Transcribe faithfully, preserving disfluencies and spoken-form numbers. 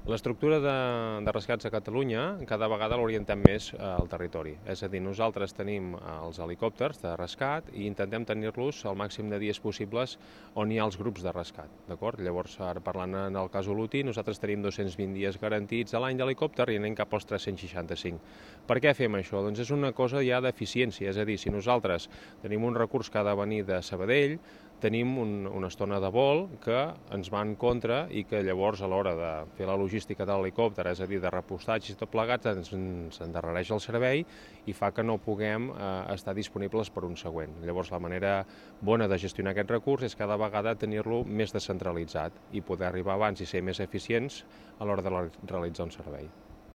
L'estructura de, de rescats a Catalunya cada vegada l'orientem més al territori. És a dir, nosaltres tenim els helicòpters de rescat i intentem tenir-los el màxim de dies possibles on hi ha els grups de rescat. D'acord? Llavors, ara parlant en el cas Olotí, nosaltres tenim dos-cents vint dies garantits a l'any d'helicòpter i anem cap als tres-cents seixanta-cinc. Per què fem això? Doncs és una cosa ja d'eficiència, és a dir, si nosaltres tenim un recurs que ha de venir de Sabadell, tenim un, una estona de vol que ens va en contra i que llavors a l'hora de fer la logística de l'helicòpter, és a dir, de repostatge i tot plegat, ens, ens endarrereix el servei i fa que no puguem eh, estar disponibles per un següent. Llavors la manera bona de gestionar aquest recurs és cada vegada tenir-lo més descentralitzat i poder arribar abans i ser més eficients a l'hora de realitzar un servei.